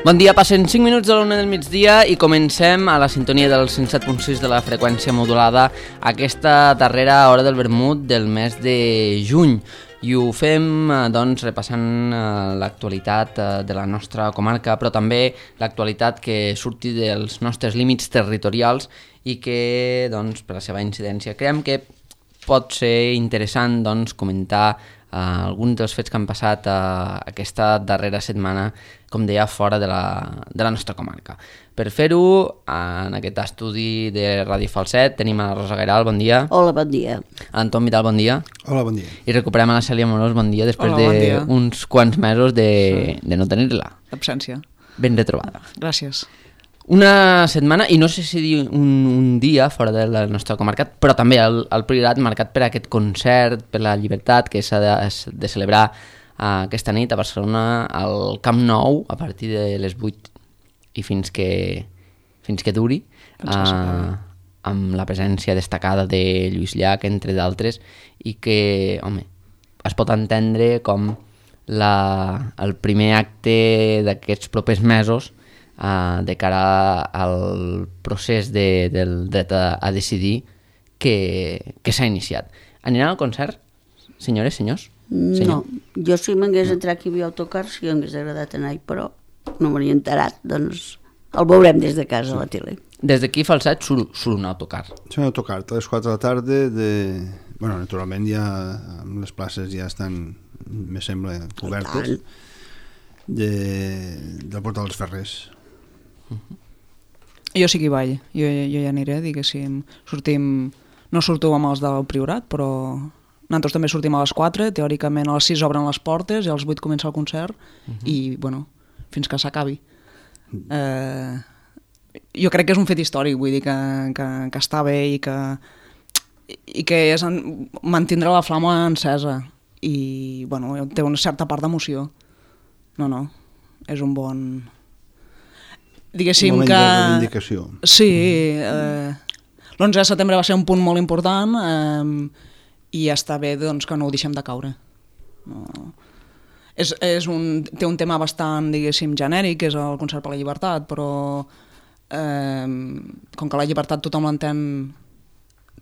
Bon dia, passen 5 minuts de l'1 del migdia i comencem a la sintonia del 107.6 de la freqüència modulada aquesta darrera hora del vermut del mes de juny. I ho fem doncs, repassant l'actualitat de la nostra comarca, però també l'actualitat que surti dels nostres límits territorials i que, doncs, per la seva incidència, creiem que pot ser interessant doncs, comentar alguns dels fets que han passat aquesta darrera setmana, com deia, fora de la nostra comarca. Per fer-ho, en aquest estudi de Ràdio Falset tenim a la Rosa Gairal, bon dia. Hola, bon dia. A l'Anton Vidal, bon dia. Hola, bon dia. I recuperem a la Cèlia Morós, bon dia, després d'uns quants mesos de no tenir-la. Absència. Ben retrobada. Gràcies. Una setmana, i no sé si dir un dia fora de la nostra comarca, però també el Priorat marcat per aquest concert per la llibertat que s'ha de celebrar aquesta nit a Barcelona al Camp Nou a partir de les 8 i fins que duri, amb la presència destacada de Lluís Llach, entre d'altres, i que, home, es pot entendre com el primer acte d'aquests propers mesos de cara al procés del dret a decidir que s'ha iniciat. Aniran al concert, senyores, senyors? No, jo si m'hagués entrat aquí a autocar sí que m'hagués agradat anar-hi, però no m'hi he enterat, doncs el veurem des de casa a la tele. Des d'aquí, Falset, surt un autocar. És un autocar a les 4 de la tarda bueno, naturalment ja les places ja estan, me sembla, cobertes del Portal dels Ferrers. Jo sí que hi vaig, jo ja aniré, diguéssim, no surto amb els del Priorat, però nosaltres també sortim a les 4, teòricament a les 6 obren les portes i a les 8 comença el concert i, bueno, fins que s'acabi. Jo crec que és un fet històric, vull dir que està bé i que és mantindre la flama encesa i, bueno, té una certa part d'emoció. No, és un bon... Diguéssim que... de reivindicació. Sí, l'11 de setembre va ser un punt molt important i està bé doncs, que no ho deixem de caure. No. Té un tema bastant, diguéssim, genèric, que és el concert per la llibertat, però com que la llibertat tothom l'entén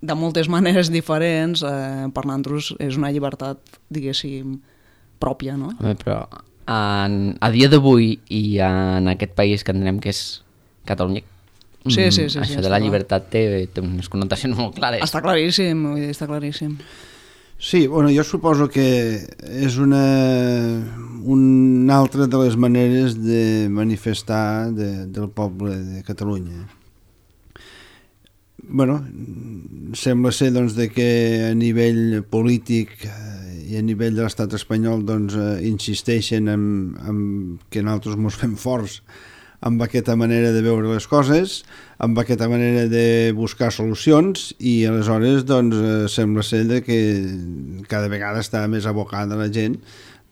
de moltes maneres diferents, per nosaltres és una llibertat, diguéssim, pròpia, no? Però a dia d'avui i en aquest país que entenem que és Catalunya, sí, això de la llibertat té unes connotacions molt clares. Està claríssim, està claríssim. Sí, bueno, jo suposo que és una altra de les maneres de manifestar del poble de Catalunya. Bueno, sembla ser doncs, que a nivell polític i a nivell de l'estat espanyol doncs, insisteixen en que nosaltres ens fem forts amb aquesta manera de veure les coses, amb aquesta manera de buscar solucions i aleshores doncs, sembla ser que cada vegada està més abocada la gent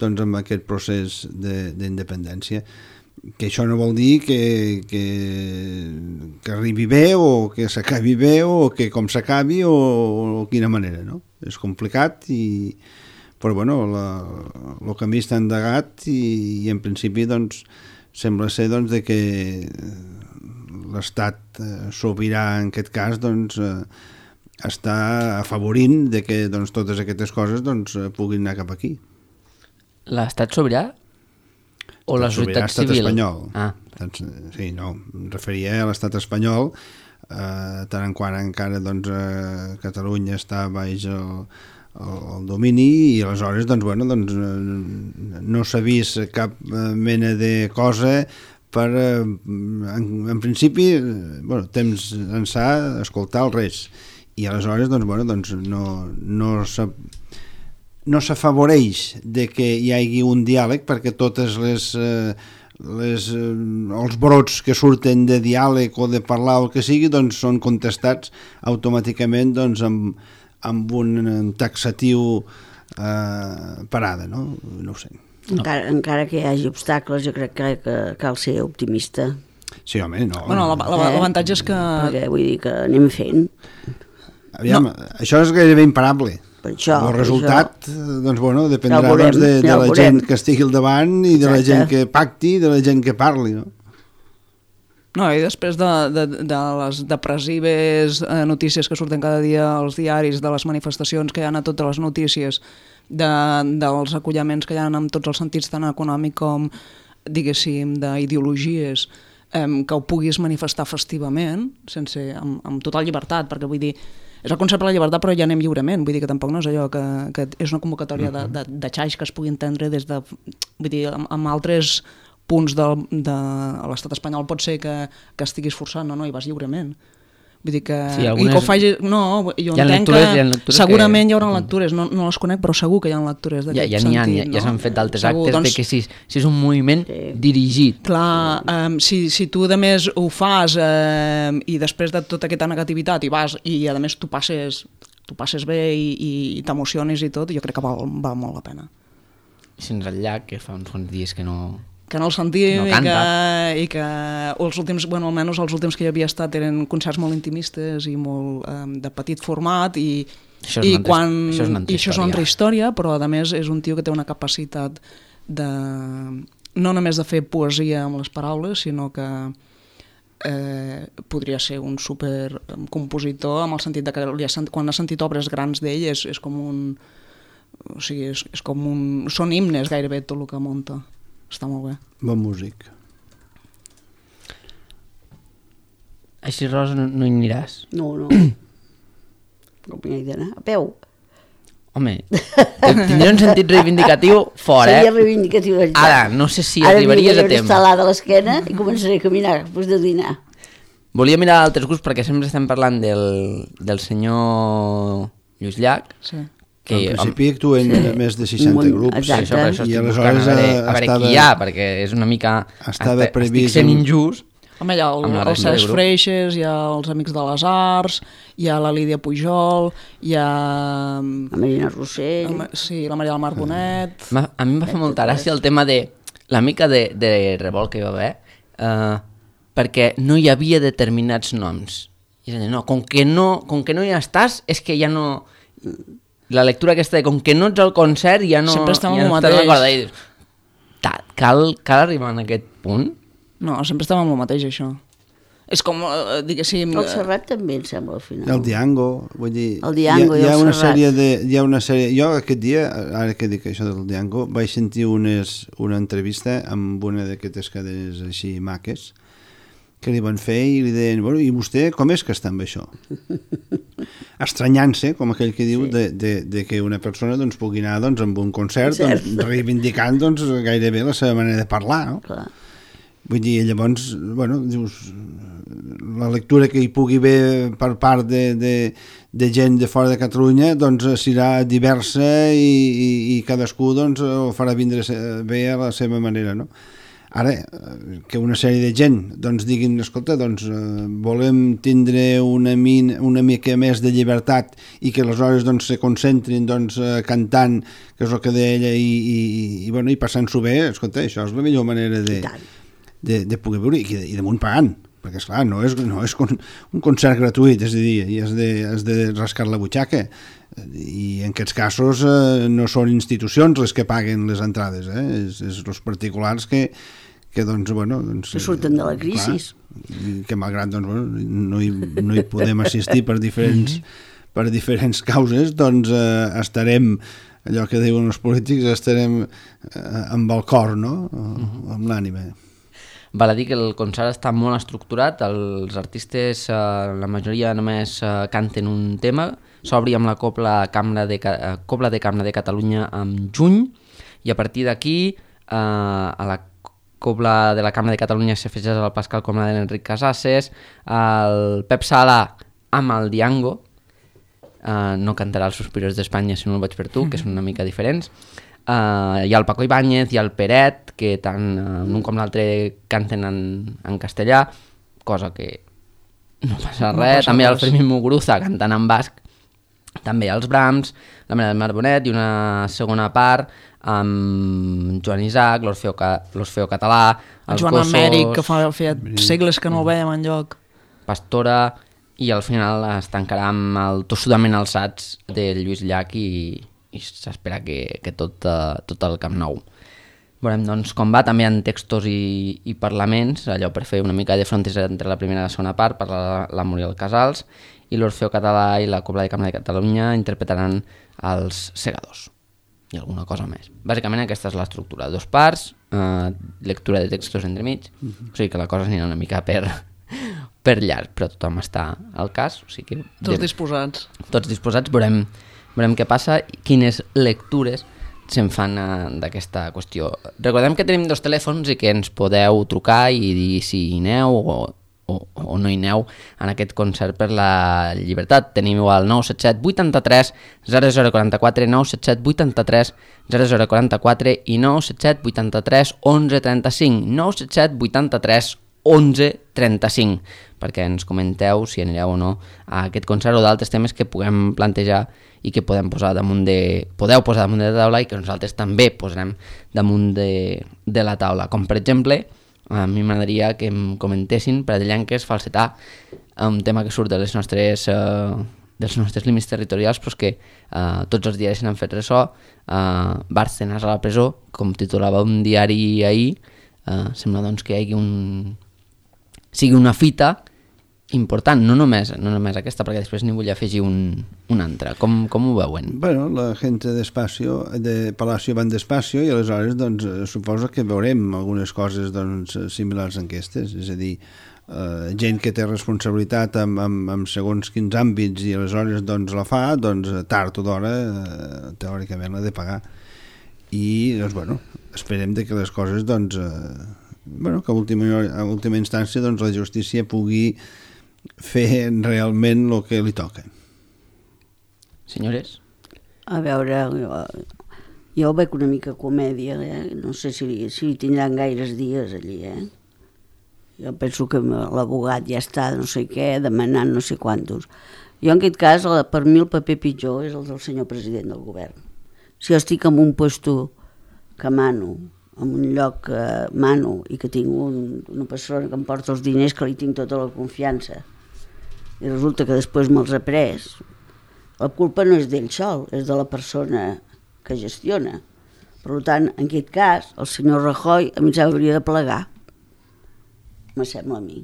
doncs, amb aquest procés d'independència. Que això no vol dir que arribi bé o que s'acabi bé o que com s'acabi o quina manera, no? És complicat però bueno, el camí està endegat i en principi doncs, sembla ser doncs, que l'estat sobirà en aquest cas doncs, està afavorint que doncs, totes aquestes coses doncs, puguin anar cap aquí. L'estat sobirà? O la societat civil? Espanyol. Doncs, sí, no, em referia a l'estat espanyol, tant en quant encara doncs, Catalunya està baix el domini i aleshores doncs, bueno, doncs, no s'ha vist cap mena de cosa per, en principi, bueno, temps ençà escoltar el res i aleshores doncs, bueno, doncs, no s'afavoreix de que hi hagi un diàleg perquè totes els brots que surten de diàleg o de parlar o el que sigui doncs són contestats automàticament doncs, amb un taxatiu parada, no? No ho sé. Encara que hi hagi obstacles, jo crec que cal ser optimista. Sí, home, no. Bueno, l'avantatge és que... Perquè vull dir que anem fent. Aviam, això és gairebé imparable. Per això, el resultat doncs, bueno, dependrà ja veurem, de la gent que estigui al davant i de la gent que pacti i de la gent que parli, no? No, i després de les depressives notícies que surten cada dia als diaris, de les manifestacions que hi ha a totes les notícies, dels acollaments que hi ha en tots els sentits, tant econòmic com, diguéssim, d'ideologies, que ho puguis manifestar festivament, amb total llibertat, perquè vull dir, és el concepte de la llibertat, però ja anem lliurement, vull dir que tampoc no és allò que és una convocatòria de xaix que es pugui entendre des de, vull dir, amb altres punts de l'estat espanyol pot ser que estiguis forçant, no, i vas lliurement. Vull dir que... Sí, i que ho faci... No, jo entenc que segurament hi haurà lectures, no les conec, però segur que hi ha lectures d'aquest sentit. Ja s'han fet d'altres actes de que si és un moviment dirigit. Clar, si tu a més ho fas i després de tota aquesta negativitat i vas i a més tu passes bé i t'emociones i tot, jo crec que val molt la pena. Fins al llac, que fa uns quants dies que no el sentim no i que els últims, bueno, almenys els últims que hi havia estat eren concerts molt intimistes i molt de petit format i això és una altra història, però a més és un tio que té una capacitat de no només de fer poesia amb les paraules, sinó que podria ser un super compositor, amb el sentit de que quan ha sentit obres grans d'ell és com un... O sigui, és com un... Són himnes gairebé tot el que munta. Està molt bé. Bon músic. Així, Rosa, no hi aniràs? No. Com hi he d'anar? A peu. Home, tindria un sentit reivindicatiu fort, Seria reivindicatiu. Ara, no sé si arribaries a temps. Ara instal·lada a l'esquena i començaré a caminar després de dinar. Volia mirar altres grups perquè sempre estem parlant del senyor Lluís Llach. Sí. Que en principi actuen més de 60 grups. Exacte. I aleshores a veure qui hi ha, perquè és una mica... Estava previst... Estic sent injust. Home, hi ha els Cesc Freixes, hi ha els Amics de les Arts, hi ha la Lídia Pujol, hi ha... La Marina Rossell. Sí, la Maria del Mar Bonet... A mi em va fer molta gràcia el tema de la mica de revolt que hi va haver, perquè no hi havia determinats noms. I és allà, no, com que no hi estàs, és que ja no... La lectura aquesta de com que no ets al concert ja no... Sempre estem ja amb no el mateix. Cal arribar a aquest punt? No, sempre estem amb el mateix, això. És com, diguéssim... El Serrat també, em sembla, al final. El Diango, vull dir... El Diango i el Serrat. Hi ha una sèrie... Jo aquest dia, ara que dic això del Diango, vaig sentir una entrevista amb una d'aquestes cadenes així maques, que li van fer i li deien, bueno, i vostè com és que està amb això? Estranyant-se, com aquell que diu, de que una persona doncs, pugui anar doncs, amb un concert reivindicant doncs, gairebé la seva manera de parlar, no? Clar. Vull dir, llavors, bueno, dius, la lectura que hi pugui haver per part de gent de fora de Catalunya doncs serà diversa i cadascú doncs, ho farà vindre bé a la seva manera, no? Ara, que una sèrie de gent doncs, diguin, escolta, doncs, volem tindre una mica més de llibertat i que aleshores doncs, se concentrin doncs, cantant, que és el que deia ella, i passant-s'ho bé, escolta, això és la millor manera de poder veure i damunt pagant, perquè esclar, no és un concert gratuït, és a dir, i has de rascar la butxaca, i en aquests casos no són institucions les que paguen les entrades, és els particulars que doncs, bueno, doncs, que surten de la crisi, que malgrat doncs, bueno, no hi podem assistir per diferents causes, doncs estarem, allò que diuen els polítics, estarem amb el cor, no? Amb l'ànima. Val a dir que el concert està molt estructurat, els artistes, la majoria només canten un tema, s'obri amb la Cobla de Cambra de Catalunya en juny, i a partir d'aquí a la Cobla de la Cambra de Catalunya s'afegeix al Pascal Coma de l'Enric Casasses, el Pep Sala amb el Diango, no cantarà els Suspiros d'Espanya si no el vaig per tu, que són una mica diferents, hi ha el Paco Ibáñez, hi ha el Peret, que tant un com l'altre canten en castellà, cosa que no passa res, també hi ha el Fermín Muguruza cantant en basc, també els Brahms, la Maria del Mar Bonet i una segona part amb Joan Isaac, l'Orfeo Català, el Joan Amèric, que feia segles que no el veiem enlloc, Pastora, i al final es tancarà amb el Tossudament alçats de Lluís Llach i s'espera que tot el Camp Nou. Veurem doncs, com va, també en textos i parlaments, allò per fer una mica de frontis entre la primera i la segona part, per la Muriel Casals, i l'Orfeo Català i la Cobla de Cambra de Catalunya interpretaran els Segadors i alguna cosa més. Bàsicament aquesta és l'estructura, 2 parts, lectura de textos entremig, o sigui que la cosa anirà una mica per llarg, però tothom està al cas. O sigui que Tots disposats. Tots disposats, veurem què passa i quines lectures se'n fan d'aquesta qüestió. Recordem que tenim 2 telèfons i que ens podeu trucar i dir si hi aneu o no hi aneu en aquest concert per la llibertat. Tenim igual 977 83 0044, 977 83 0044 i 977 83 1135, 977 83 1135, perquè ens comenteu si anireu o no a aquest concert o d'altres temes que puguem plantejar i que podeu posar damunt de la taula i que nosaltres també posarem damunt de la taula, com per exemple a mi m'agradaria que em comentessin Pradellenques, falsetar, un tema que surt dels nostres límits territorials, però que tots els diaris n'han fet ressò. Bárcenas a la presó, com titulava un diari ahir, sembla doncs que hi hagi sigui una fita important, no només aquesta, perquè després n'hi vull afegir un altre. Com ho veuen? Bueno, la gent de Palacio van despacio i aleshores doncs, suposo que veurem algunes coses doncs, similars a aquestes, és a dir, gent que té responsabilitat en segons quins àmbits i aleshores doncs, la fa, doncs, tard o d'hora teòricament l'ha de pagar. I doncs, bueno, esperem que les coses doncs, que a última instància doncs, la justícia pugui fer realment el que li toca. Senyores? A veure, jo veig una mica comèdia, no sé si tindran gaires dies allí, Jo penso que l'abogat ja està no sé què, demanant no sé quantos. Jo en aquest cas, per mi el paper pitjor és el del senyor president del govern. Si jo estic en un puesto que mano, en un lloc que mano i que tinc una persona que em porta els diners, que li tinc tota la confiança, i resulta que després me'ls ha pres, la culpa no és d'ell sol, és de la persona que gestiona. Per tant, en aquest cas, el senyor Rajoy a mi s'hauria de plegar. Me sembla a mi.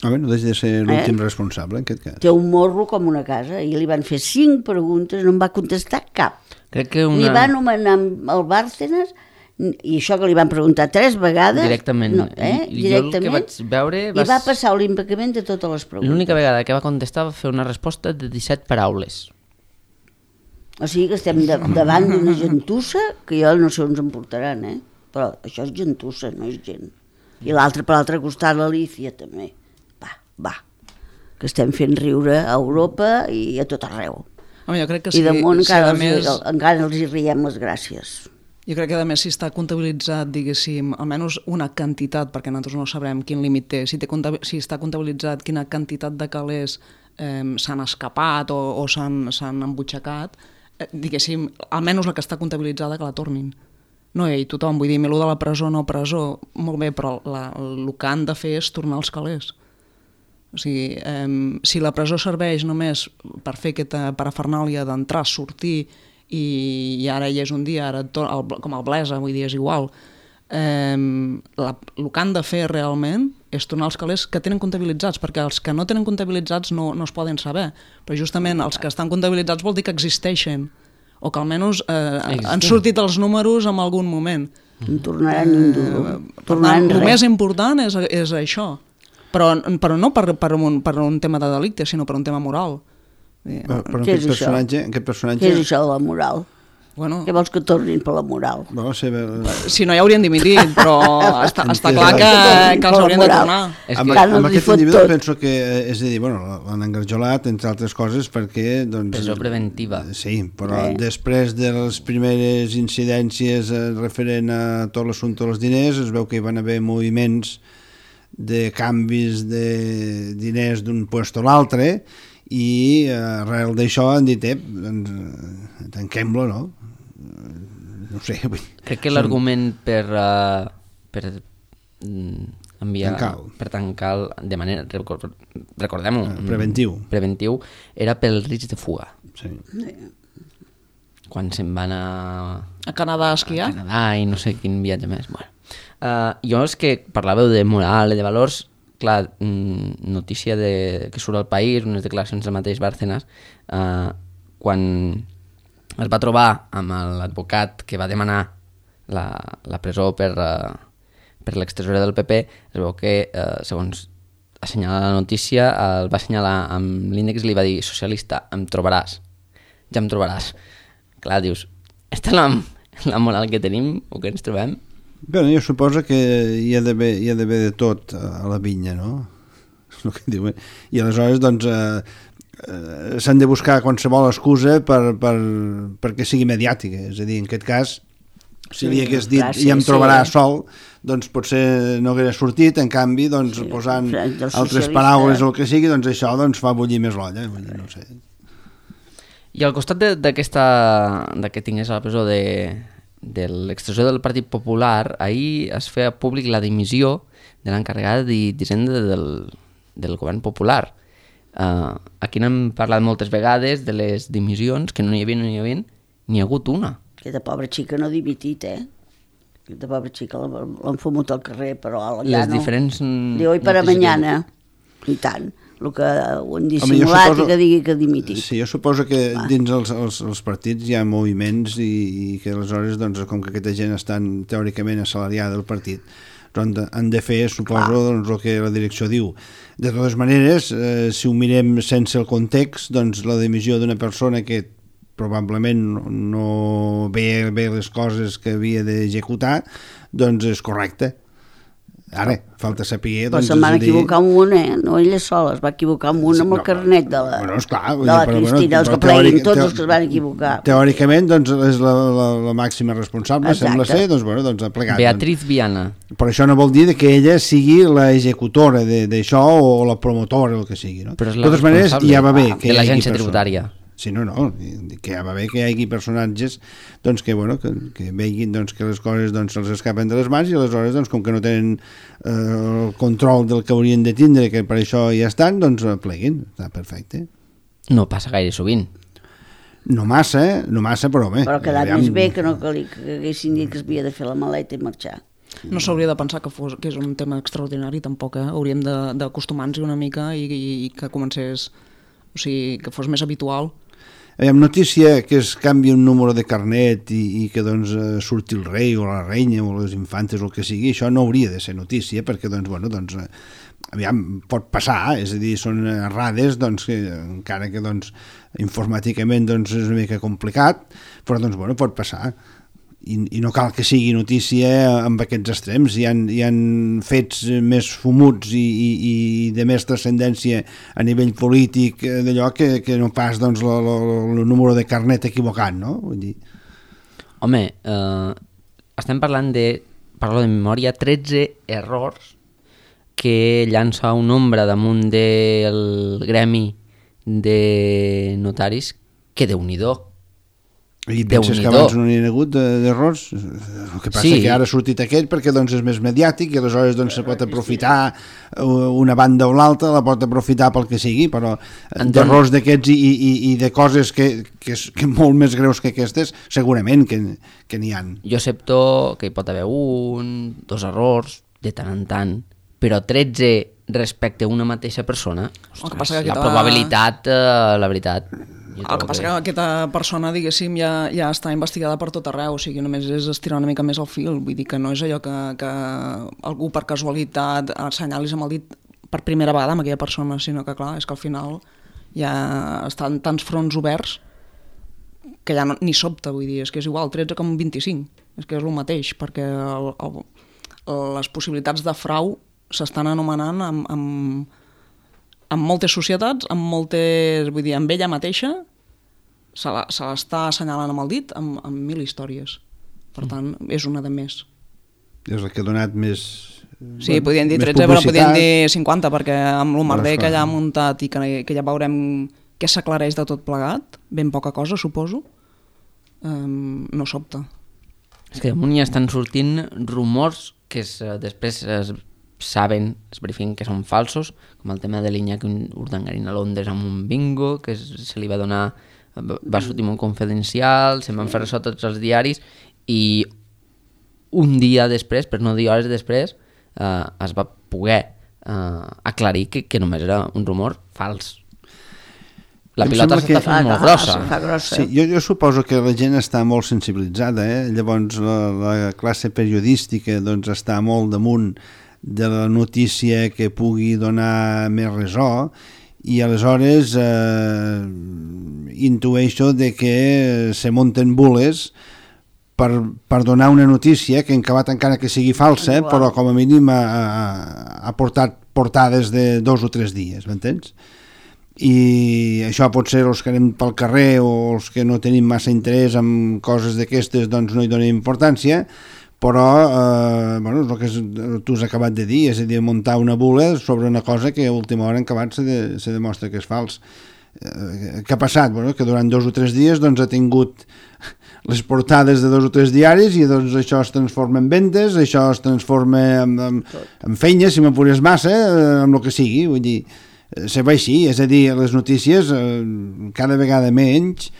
No deixa de ser l'últim responsable, en aquest cas. Té un morro com una casa, i li van fer 5 preguntes, no em va contestar cap. Crec que Ni va anomenar el Bárcenas, i això que li van preguntar 3 vegades... Directament. No, Jo el que vaig veure... I va passar l'impecament de totes les preguntes. L'única vegada que va contestar va fer una resposta de 17 paraules. O sigui que estem davant d'una gentussa que jo no sé on ens en portaran, però això és gentussa, no és gent. I l'altre per l'altre costat, l'Alícia també. Va, que estem fent riure a Europa i a tot arreu. Home, jo crec que I damunt encara els hi riem les gràcies. Jo crec que a més si està comptabilitzat, diguéssim, almenys una quantitat, perquè nosaltres no sabrem quin límit té, si està comptabilitzat quina quantitat de calés s'han escapat o s'han embutxacat, diguéssim, almenys la que està comptabilitzada que la tornin. No, i tothom, vull dir, lo de la presó, no presó, molt bé, però el que han de fer és tornar els calés. O sigui, si la presó serveix només per fer aquesta parafernàlia d'entrar, sortir, i ara ja és un dia, ara com el Blesa, vull dir, és igual. El que han de fer realment és tornar els calés que tenen comptabilitzats, perquè els que no tenen comptabilitzats no es poden saber, però justament els que estan comptabilitzats vol dir que existeixen, o que almenys han sortit els números en algun moment. No tornaran ni un duro. El més important és això, però no per un tema de delicte, sinó per un tema moral. Però aquest personatge... Què és això de la moral? Bueno, què vols que tornin per la moral? Si no ja haurien dimitit, però està clar que els haurien de tornar. Amb aquest individu penso que, és a dir, l'han engarjolat, entre altres coses, perquè... Presó preventiva. Sí, però després de les primeres incidències referent a tot l'assumpte dels diners, es veu que hi van haver moviments de canvis de diners d'un lloc a l'altre, i arrel d'això han dit tanquem-lo, no? No sé. Crec que l'argument per enviar... Per tancar de manera, recordem-ho, preventiu era pel risc de fuga. Sí. quan se'n van A Canadà a esquiar? a Canadà i no sé quin viatge més. Bueno. Jo és que parlàveu de moral i de valors, clar, notícia que surt al País, unes declaracions del mateix Bárcenas, quan es va trobar amb l'advocat que va demanar la presó per l'extresorer del PP, es veu que, segons assenyala la notícia, el va assenyalar amb l'índex i li va dir: socialista, em trobaràs, ja em trobaràs. Clar, dius, esta és la moral que tenim o que ens trobem? Bé, jo suposo que hi ha d'haver de tot a la vinya, no? És el que diuen. I aleshores, doncs, s'han de buscar qualsevol excusa perquè sigui mediàtica. És a dir, en aquest cas, si li hagués dit i em trobarà sol, doncs potser no hauria sortit, en canvi, doncs, posant altres paraules o el que sigui, doncs això fa bullir més l'olla, no sé. I al costat de que tingués a la presó de l'extresorer del Partit Popular, ahir es feia públic la dimissió de l'encarregada d'Hisenda del govern popular. Aquí n'hem parlat moltes vegades de les dimissions, que no n'hi havia, n'hi ha hagut una. Aquesta pobra xica no ha dimitit, Aquesta pobra xica l'han fumut al carrer, però ja les no. Diferents de hoy para mañana, i tant. El que ho han dissimulat i que digui que ha dimitit. Sí, jo suposo que dins els partits hi ha moviments i que aleshores, doncs, com que aquesta gent estan teòricament assalariada del partit, doncs han de fer, suposo, doncs, el que la direcció diu. De totes maneres, si ho mirem sense el context, doncs la dimissió d'una persona que probablement no veia bé les coses que havia d'executar, doncs és correcte. Ara, falta saber... Però se'n van equivocar amb una, no ella sola, es va equivocar amb una amb el carnet de la Cristina, els que pleguin, tots els que es van equivocar. Teòricament, doncs, és la màxima responsable, sembla ser, doncs ha plegat. Beatriz Viana. Però això no vol dir que ella sigui l'executora d'això o la promotora, el que sigui, no? Però és de totes maneres, ja va bé que de l'agència tributària. Sí, no, que ja va bé que hi hagi personatges doncs, que veguin doncs, que les coses doncs, se'ls escapen de les mans i aleshores, doncs, com que no tenen el control del que haurien de tindre, que per això ja estan, doncs pleguin, està perfecte. No passa gaire sovint. No massa, però bé. Però ha quedat més bé que no que haguessin dit que es havia de fer la maleta i marxar. No s'hauria de pensar que és un tema extraordinari, tampoc, Hauríem d'acostumar-nos una mica i que comencés, o sigui, que fos més habitual. Notícia que es canvi un número de carnet i que doncs, surti el rei o la reina o les infantes o el que sigui, això no hauria de ser notícia perquè aviam, pot passar, és a dir, són errades doncs, que, encara que doncs, informàticament doncs, és una mica complicat, però doncs, pot passar. I no cal que sigui notícia amb aquests extrems. Hi han fets més fumuts i de més transcendència a nivell polític d'allò que no pas doncs, el número de carnet equivocat, no? Vull dir... Home, estem parlant parlo de memòria, 13 errors que llança un ombra damunt del gremi de notaris que Déu-n'hi-do. I penses que abans no n'hi ha hagut d'errors? El que passa que ara ha sortit aquell perquè doncs, és més mediàtic i aleshores doncs, se pot aprofitar una banda o l'altra, la pot aprofitar pel que sigui, però d'errors d'aquests i de coses que molt més greus que aquestes segurament que n'hi ha. Jo accepto que hi pot haver 1, 2 errors de tant en tant, però 13 respecte a una mateixa persona, ostres, la probabilitat, la veritat... El que passa que aquesta persona, diguéssim, ja està investigada per tot arreu, o sigui, només és estirar una mica més el fil, vull dir que no és allò que algú per casualitat assenyalis amb el dit per primera vegada amb aquella persona, sinó que clar, és que al final ja estan tants fronts oberts que ja ni sobta, vull dir, és que és igual 13 com 25, és que és el mateix, perquè les possibilitats de frau s'estan anomenant amb moltes societats, vull dir, amb ella mateixa, se l'està assenyalant amb el dit amb 1000 històries. Per tant, és una de més. És la que ha donat més... Sí, podien dir 13, però podien dir 50, perquè amb el merder que ja ha muntat i que ja veurem què s'aclareix de tot plegat, ben poca cosa, suposo, no sobta. És que damunt ja estan sortint rumors que després saben, es verifiquen que són falsos, com el tema de l'Iñaki Urdangarín a Londres amb un bingo, que se li va donar va sortir un confidencial, se'n van fer ressò tots els diaris i un dia després, per no dir hores després, es va poder aclarir que només era un rumor fals. La pilota s'està fent molt grossa. Sí, jo suposo que la gent està molt sensibilitzada, llavors la classe periodística doncs, està molt damunt de la notícia que pugui donar més ressò i aleshores intueixo de que se munten bules per donar una notícia que en acabat encara que sigui falsa, però com a mínim ha portat portades de 2 o 3 dies, m'entens? I això pot ser els que anem pel carrer o els que no tenim massa interès en coses d'aquestes, doncs no hi donem importància, però bueno, és el que tu has acabat de dir, és a dir, muntar una bula sobre una cosa que a última hora en acabat se demostra que és fals. Què ha passat? Bueno, que durant 2 o 3 dies doncs, ha tingut les portades de 2 o 3 diaris i doncs això es transforma en vendes, això es transforma en feina, si m'apures massa, amb el que sigui, vull dir, se va així, és a dir, les notícies cada vegada menys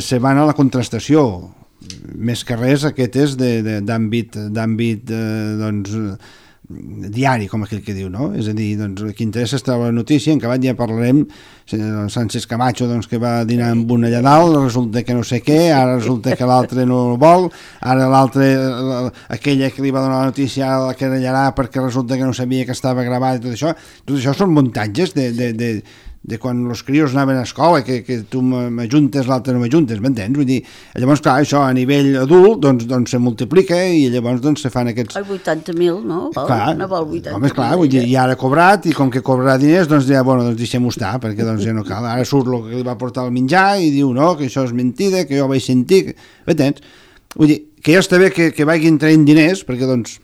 se van a la contrastació, més que res aquest és d'àmbit doncs, diari, com aquell que diu, no? És a dir, doncs, qui interessa és la notícia, en acabat ja parlarem, Sánchez Camacho doncs, que va dinar amb un allà dalt, resulta que no sé què, ara resulta que l'altre no vol, ara l'altre, aquella que li va donar la notícia la querellarà perquè resulta que no sabia que estava gravat i tot això són muntatges de quan els crios anaven a escola, que tu m'ajuntes, l'altre no m'ajuntes, m'entens? Vull dir, llavors, clar, això a nivell adult, doncs se multiplica i llavors doncs se fan aquests... 80.000, no? Clar, no vol 80.000. Home, esclar, vull dir, ja ara ha cobrat i com que cobrarà diners, doncs ja, bueno, doncs deixem-ho estar, perquè doncs ja no cal. Ara surt el que li va portar el menjar i diu, no, que això és mentida, que jo vaig sentir... M'entens? Vull dir, que ja està bé que vagin traient diners, perquè doncs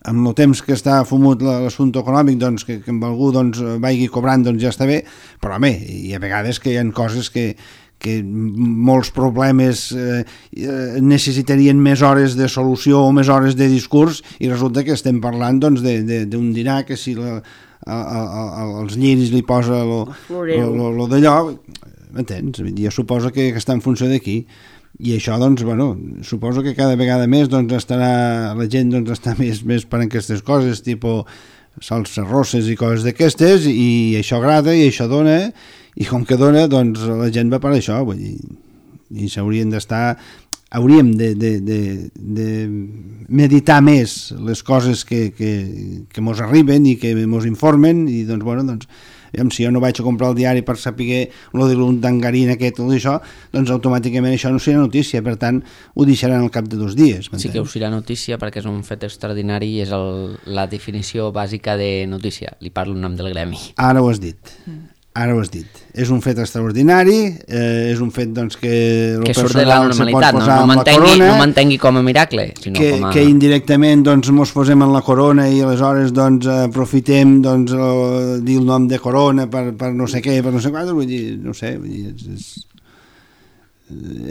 amb el temps que està fumut l'assumpte econòmic, doncs, que amb algú doncs, vagi cobrant, doncs ja està bé, però home, hi ha vegades que hi ha coses que molts problemes necessitarien més hores de solució o més hores de discurs i resulta que estem parlant doncs, d'un dinar que si els lliris li posa lo d'allò, m'entens? Jo suposo que està en funció d'aquí. I això, doncs, bueno, suposo que cada vegada més doncs, la gent doncs, està més per aquestes coses, tipus salses rosses i coses d'aquestes, i això agrada i això dona, i com que dona, doncs la gent va per això, vull dir, i s'haurien d'estar, hauríem de meditar més les coses que mos arriben i que mos informen, i doncs, bueno, doncs, si jo no vaig a comprar el diari per saber el de l'undangarín aquest o d'això, doncs automàticament això no serà notícia, per tant ho deixaran al cap de 2 dies. Sí que ho serà notícia perquè és un fet extraordinari i és la definició bàsica de notícia. Li parlo en nom del gremi. Ara ho has dit. És un fet extraordinari, és un fet doncs, que surt de la normalitat, no mantengui com a miracle, sinó com a... que indirectament doncs, mos posem en la corona i aleshores doncs, aprofitem doncs, dir el nom de corona per no sé què, per no sé quant, vull dir, no sé, vull dir,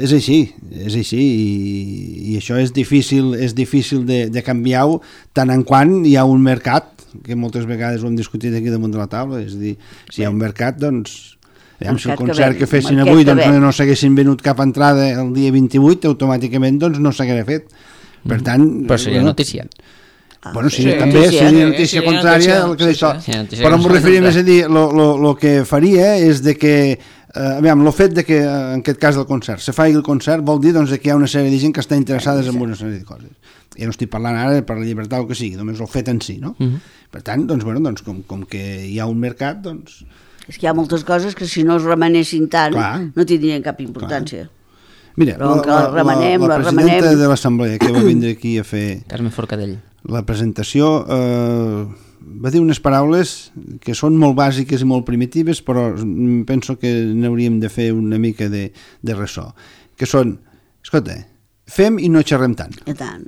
és així i això és difícil de canviar-ho tant en quant hi ha un mercat, que moltes vegades ho hem discutit aquí damunt de la taula, és a dir, si hi ha un mercat, doncs si el concert que fessin avui doncs, no s'haguessin venut cap entrada el dia 28, automàticament doncs, no s'hagués fet. Per tant... Però seria notícia. Bueno, sí, també seria notícia contrària al que d'això. Però m'ho referia més a dir, el que faria és de que el fet de que en aquest cas del concert se faci el concert vol dir doncs, que hi ha una sèrie de gent que està interessades en una sèrie de coses. Ja no estic parlant ara per la llibertat o que sigui, només el fet en si, no? Per tant, doncs, bueno, doncs, com que hi ha un mercat, doncs... És que hi ha moltes coses que si no es remenessin tant no tindrien cap importància. Mira, la presidenta de l'Assemblea que va vindre aquí a fer Carme Forcadell la presentació va dir unes paraules que són molt bàsiques i molt primitives, però penso que n'hauríem de fer una mica de ressò, que són, escolta, fem i no xerrem tant. I tant.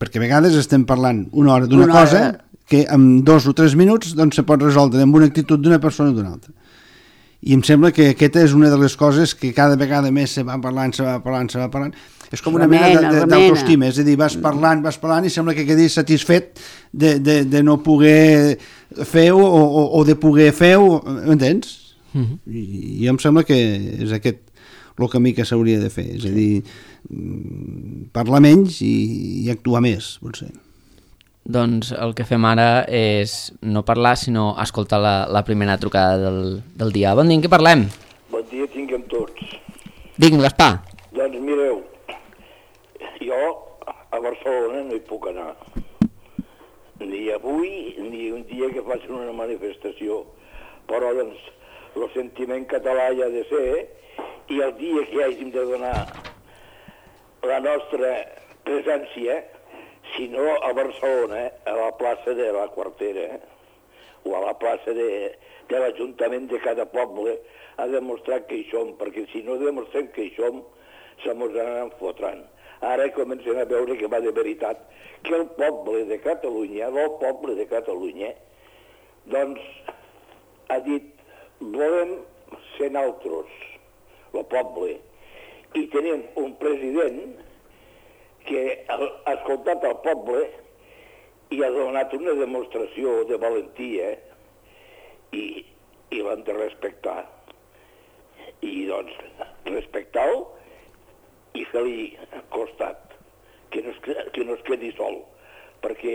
Perquè a vegades estem parlant una hora d'una cosa que en 2 o 3 minuts doncs, se pot resoldre amb una actitud d'una persona o d'una altra. I em sembla que aquesta és una de les coses que cada vegada més se va parlant. És com una mena d'autoestima, és a dir, vas parlant i sembla que quedis satisfet de no poder fer-ho o de poder fer-ho, m'entens? I em sembla que és aquest el camí que s'hauria de fer, és a dir, parlar menys i actuar més, potser. Doncs el que fem ara és no parlar, sinó escoltar la primera trucada del dia. Bon dia, en què parlem? Bon dia tinguem tots. Digue'm, Gaspar. Doncs mireu, jo a Barcelona no hi puc anar. Ni avui, ni un dia que facin una manifestació. Però, doncs, el sentiment català hi ha de ser, i el dia que hàgim de donar la nostra presència, si no a Barcelona, a la plaça de la Quartera, o a la plaça de l'Ajuntament de cada poble, a demostrar que hi som, perquè si no demostrem que hi som, se mos anaran fotrant. Ara comencem a veure que va de veritat, que el poble de Catalunya, doncs, ha dit, volem ser nosaltres, el poble, i tenim un president que ha escoltat el poble i ha donat una demostració de valentia i l'han de respectar. I doncs, respectar-lo i fer-li costat, que no es quedi sol, perquè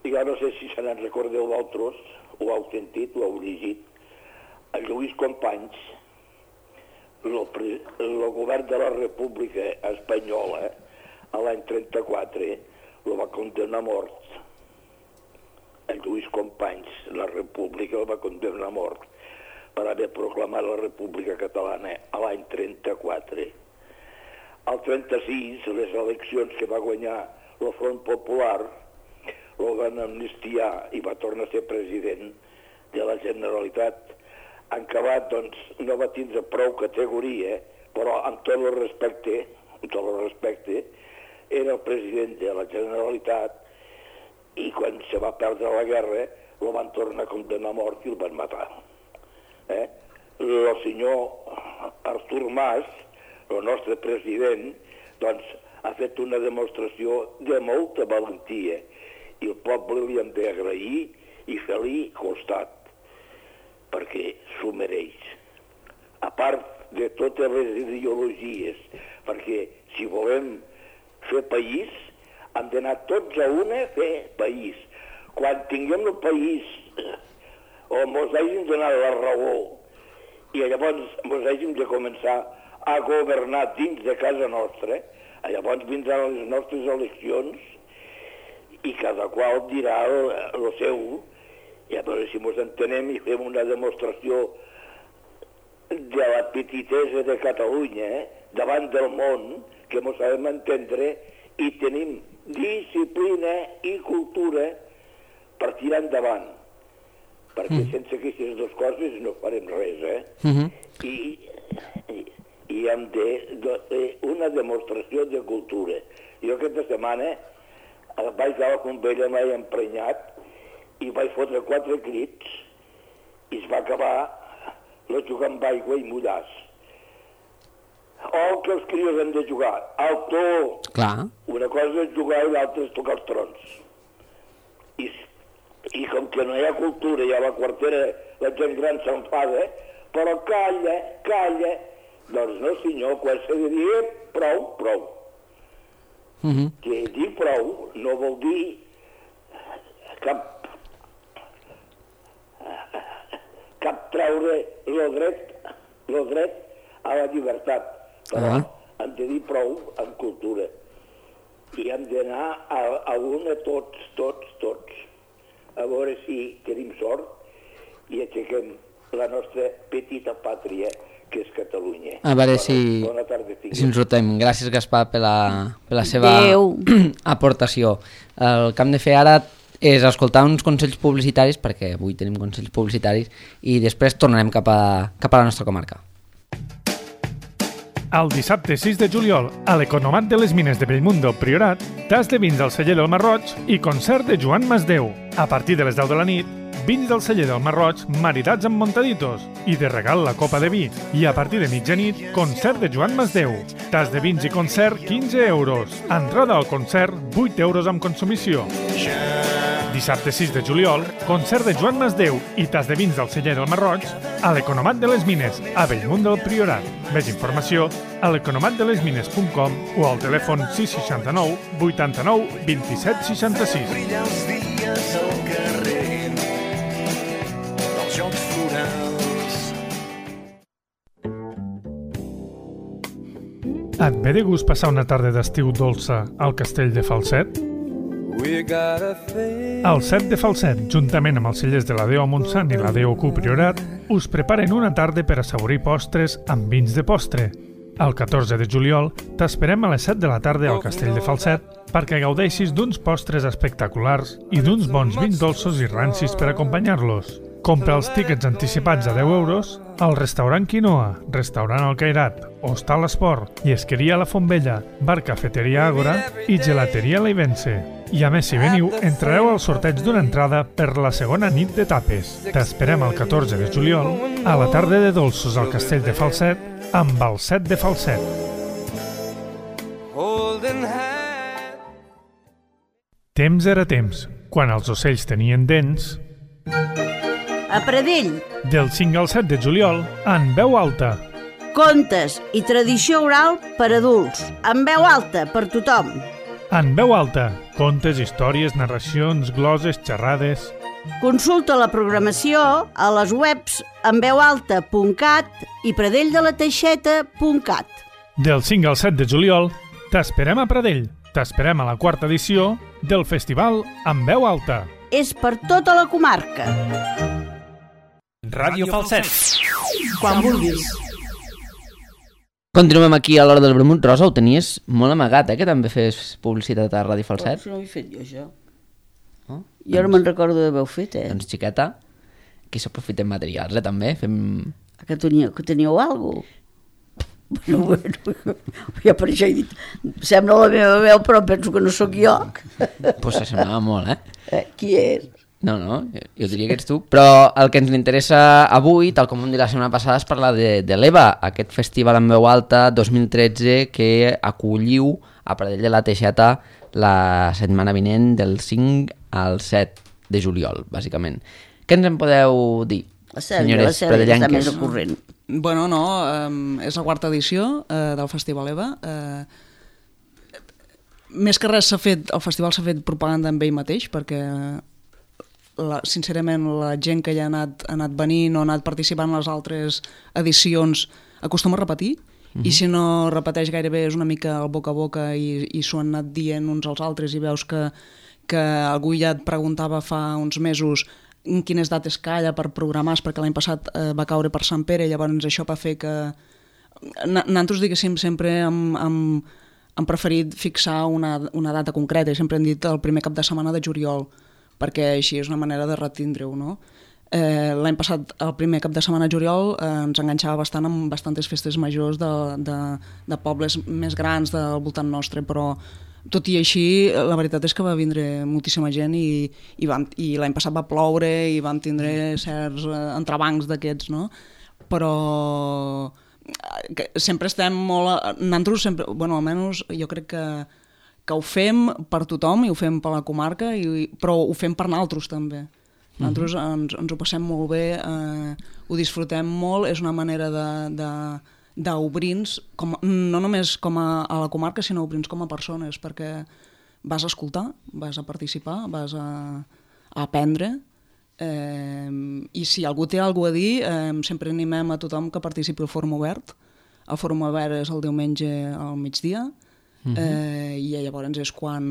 jo no sé si se n'en recordeu d'altres, ho heu sentit, ho heu llegit, el Lluís Companys, el govern de la República Espanyola, a l'any 34, el va condemnar a mort. El Lluís Companys, la República, el va condemnar a mort per haver proclamat la República Catalana a l'any 34. Al 36, les eleccions que va guanyar el Front Popular, el van amnistiar i va tornar a ser president de la Generalitat. En acabat, doncs, no va tindre prou categoria, però amb tot el respecte, era el president de la Generalitat i quan se va perdre la guerra el van tornar a condemnar a mort i el van matar. El senyor Artur Mas, el nostre president, doncs, ha fet una demostració de molta valentia i el poble li hem d'agrair i fer-li costat, perquè s'ho mereix. A part de totes les ideologies, perquè si volem fer país, hem d'anar tots a una a fer país. Quan tinguem el país on ens hàgim donat la raó i llavors ens hàgim de començar a governar dins de casa nostra, llavors vindran les nostres eleccions i cada qual dirà el seu, i a veure si ens entenem i fem una demostració de la petitesa de Catalunya davant del món, que ens sabem entendre i tenim disciplina i cultura per tirar endavant. Perquè sense aquestes dues coses no farem res, I hem de una demostració de cultura. Jo aquesta setmana vaig a la Convella, m'he emprenyat i vaig fotre 4 crits i es va acabar la jugar amb aigua i mullars. Que els crios han de jugar al to. Clar. Una cosa és jugar i l'altra és tocar els trons. I com que no hi ha cultura i a la Quartera la gent gran s'enfada, però calla. Doncs no, senyor, quan s'ha de dir prou. Que dir prou no vol dir cap treure el dret a la llibertat. Però hem de dir prou en cultura. I hem d'anar a una tots. A veure si tenim sort i aixequem la nostra petita pàtria, que és Catalunya. A veure si ens rotem. Gràcies, Gaspar, per la seva aportació. El que hem de fer ara és escoltar uns consells publicitaris, perquè avui tenim consells publicitaris, i després tornarem cap a la nostra comarca. El dissabte 6 de juliol, a l'Economat de les Mines de Bellmundo, Priorat, tas de vins del celler del Marroig i concert de Joan Masdeu. A partir de les 10 de la nit, vins del celler del Marroig maridats amb montaditos i de regal la copa de vi. I a partir de mitjanit, concert de Joan Masdeu. Tas de vins i concert, 15 euros. Entrada al concert, 8 euros amb consumició. Dissabte 6 de juliol, concert de Joan Masdeu i tas de vins del celler del Marroig a l'Economat de les Mines, a Bellmunt del Priorat. Més informació a l'economatdelesmines.com o al telèfon 669 89 27 66. Brillar els dies al carrer dels Jocs Florals. Et ve de gust passar una tarda d'estiu dolça al castell de Falset? El Set de Falset, juntament amb els cellers de la Déu a Montsant i la Déu Q Priorat, us preparen una tarda per assaborir postres amb vins de postre. El 14 de juliol t'esperem a les 7 de la tarda al Castell de Falset perquè gaudeixis d'uns postres espectaculars i d'uns bons vins dolços i rancis per acompanyar-los. Compra els tíquets anticipats a 10 euros al restaurant Quinoa, restaurant El Cairat, Hostal Esport, Llesqueria La Fontvella, Bar Cafeteria Àgora i Gelateria Leivense. I a més, si veniu, entrareu al sorteig d'una entrada per la segona nit de tapes. T'esperem el 14 de juliol a la tarda de dolços al Castell de Falset amb el Set de Falset. Temps era temps, quan els ocells tenien dents. A Pradell, Del 5 al 7 de juliol, en veu alta. contes i tradició oral per adults, amb veu alta per tothom. En veu alta, contes, històries, narracions, gloses, xerrades. Consulta la programació a les webs enveualta.cat i pradelldelaTeixeta.cat. Del 5 al 7 de juliol, t'esperem a Pradell. T'esperem a la 4ª edició del festival En Veu Alta. És per tota la comarca. Ràdio Falset. Quan vulguis. Continuem aquí a l'hora del vermut. Rosa, ho tenies molt amagat, que també fes publicitat a Ràdio Falset. No ho he fet jo, això. Oh, Jo no me'n recordo d'haver-ho fet, Doncs, xiqueta, aquí s'aprofiten materials, també. Fem... Que teníeu alguna cosa? Bueno, ja per això he dit, sembla la meva veu, però penso que no sóc jo. Pues s'assemblava molt, Qui és? No, jo diria que ets tu. Però el que ens interessa avui, tal com vam dir la setmana passada, és parlar de l'EVA, aquest festival en veu alta 2013 que acolliu a Pradell de la Teixeta la setmana vinent del 5 al 7 de juliol, bàsicament. Què ens en podeu dir, senyores pradellenques? Està més al corrent. Bueno, no, és la 4ª edició del Festival EVA. Més que res el festival s'ha fet propaganda amb ell mateix, perquè sincerament la gent que ja ha anat venint o ha anat participant en les altres edicions acostuma a repetir, i si no repeteix gairebé és una mica el boca a boca i s'ho han anat dient uns als altres i veus que algú ja et preguntava fa uns mesos quines dates calla per programar, perquè l'any passat va caure per Sant Pere, llavors això va fer que nosaltres, diguéssim, sempre hem preferit fixar una data concreta i sempre hem dit el primer cap de setmana de juliol, perquè així és una manera de retindre-ho, no? L'any passat, el primer cap de setmana de juliol, ens enganxava bastant amb bastantes festes majors de pobles més grans del voltant nostre, però tot i així, la veritat és que va vindre moltíssima gent i l'any passat va ploure i vam tindre certs entrebancs d'aquests, no? Però sempre estem molt... Nosaltres sempre, bueno, almenys jo crec que ho fem per tothom i ho fem per la comarca, però ho fem per nosaltres també. Nosaltres ens ho passem molt bé, ho disfrutem molt, és una manera d'obrir-nos, no només com a la comarca, sinó obrir-nos com a persones, perquè vas a escoltar, vas a participar, vas a aprendre, i si algú té alguna cosa a dir, sempre animem a tothom que participi al Fòrum Obert. El Fòrum Obert és el diumenge al migdia, i llavors és quan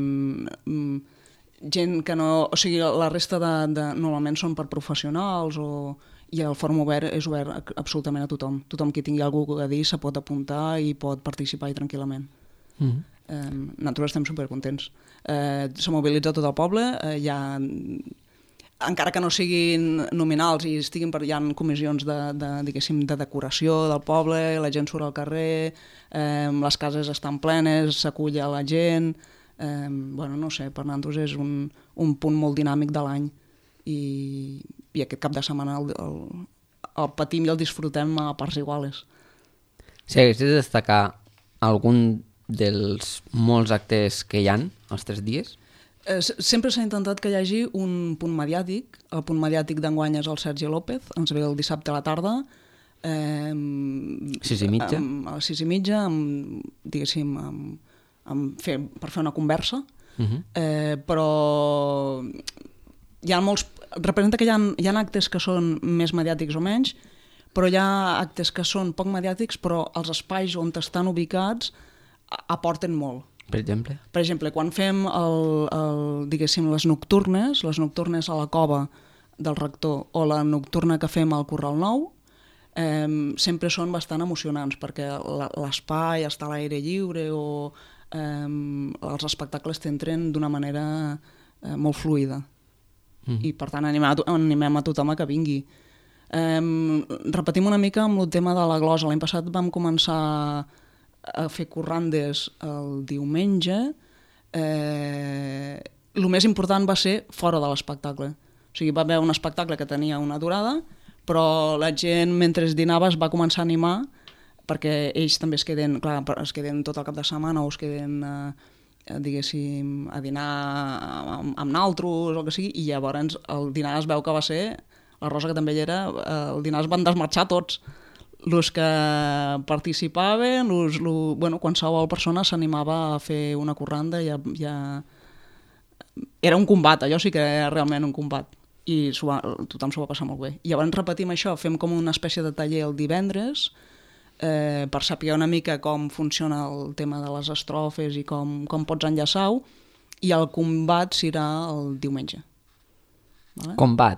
gent que no... O sigui, la resta normalment són per professionals i el Fòrum Obert és obert absolutament a tothom. Tothom que tingui alguna cosa a dir se pot apuntar i pot participar-hi tranquil·lament. Nosaltres estem supercontents. Se mobilitza tot el poble, encara que no siguin nominals i estiguin hi ha comissions de decoració del poble, la gent surt al carrer, les cases estan plenes, s'acull a la gent... Bueno, no sé, per nosaltres és un punt molt dinàmic de l'any i aquest cap de setmana el patim i el disfrutem a parts iguales. Si haguessis de destacar algun dels molts actes que hi ha els 3 dies? Sempre s'ha intentat que hi hagi un punt mediàtic. El punt mediàtic d'enguany és el Sergi López, ens ve el dissabte a la tarda, 6:30. a les 6:30, diguéssim, per fer una conversa, però hi ha molts... Representa que hi ha actes que són més mediàtics o menys, però hi ha actes que són poc mediàtics, però els espais on estan ubicats aporten molt. Per exemple? Per exemple, quan fem diguéssim, les nocturnes a la cova del rector o la nocturna que fem al Corral Nou, sempre són bastant emocionants, perquè l'espai està a l'aire lliure o els espectacles t'entren d'una manera molt fluida. I per tant animem a tothom a que vingui. Repetim una mica amb el tema de la glosa. L'any passat vam començar a fer corrandes el diumenge. El més important va ser fora de l'espectacle. O sigui, va haver un espectacle que tenia una durada, però la gent mentre dinava es va començar a animar perquè ells també es queden tot el cap de setmana o es queden diguéssim, a dinar amb naltros o el que sigui, i llavors el dinar es veu que va ser, la Rosa que també hi era, el dinar es van desmarxar tots. Els que participaven, qualsevol persona s'animava a fer una corranda, era un combat, allò sí que era realment un combat, i tothom s'ho va passar molt bé. I llavors repetim això, fem com una espècie de taller el divendres, per saber una mica com funciona el tema de les estrofes i com pots enllaçar-ho, i el combat serà el diumenge. Vale? Combat?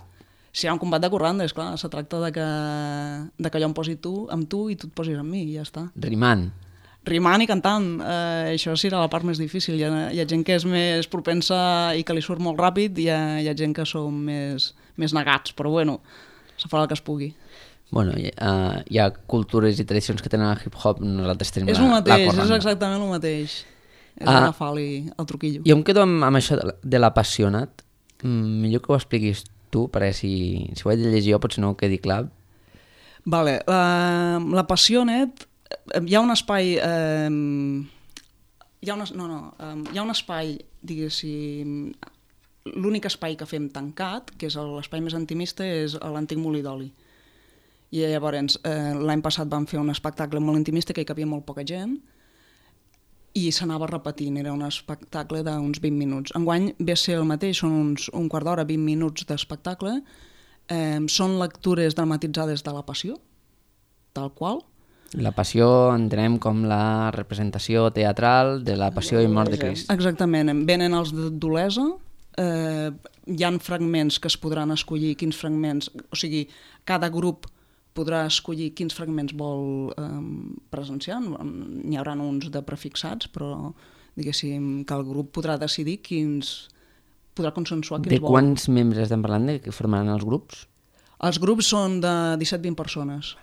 Si hi ha un combat de corranda, esclar, se tracta de que jo em posi amb tu i tu et posis amb mi, i ja està. Rimant? Rimant i cantant, això serà la part més difícil. Hi ha gent que és més propensa i que li surt molt ràpid, i hi ha gent que som més negats, però bueno, se farà el que es pugui. Bueno, hi ha cultures i tradicions que tenen el hip-hop, nosaltres tenim la corranda. És exactament el mateix. És agafar-li el truquillo. Jo em quedo amb això de l'apassionat. Millor que ho expliquis tu, perquè si ho he de llegir jo potser no ho quedi clar. Vale, l'apassionet, hi ha un espai... hi ha un espai, diguéssim... L'únic espai que fem tancat, que és l'espai més intimista, és l'antic molí d'oli. I llavors l'any passat vam fer un espectacle molt intimista que hi cabia molt poca gent i s'anava repetint, era un espectacle d'uns 20 minuts. Enguany ve a ser el mateix, són un quart d'hora, 20 minuts d'espectacle, són lectures dramatitzades de la Passió, tal qual. La Passió entenem com la representació teatral de la Passió i mort de Crist. Exactament, venen els d'Olesa, hi ha fragments que es podran escollir quins fragments, o sigui, cada grup podrà escollir quins fragments vol presenciar. N'hi haurà uns de prefixats, però diguéssim que el grup podrà decidir podrà consensuar quins vol. De quants membres estem parlant que formaran els grups? Els grups són de 17-20 persones.